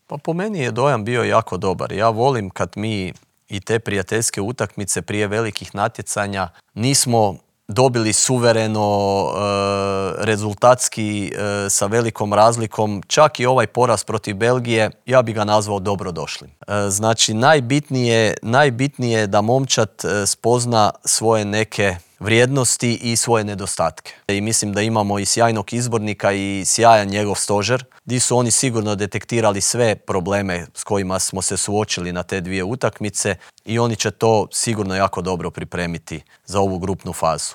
Pa po meni je dojam bio jako dobar. Ja volim kad mi i te prijateljske utakmice prije velikih natjecanja nismo dobili suvereno, rezultatski, sa velikom razlikom. Čak i ovaj poraz protiv Belgije, ja bi ga nazvao dobrodošlim. Znači, najbitnije je da momčad spozna svoje neke vrijednosti i svoje nedostatke. I mislim da imamo i sjajnog izbornika i sjajan njegov stožer, gdje su oni sigurno detektirali sve probleme s kojima smo se suočili na te dvije utakmice i oni će to sigurno jako dobro pripremiti za ovu grupnu fazu.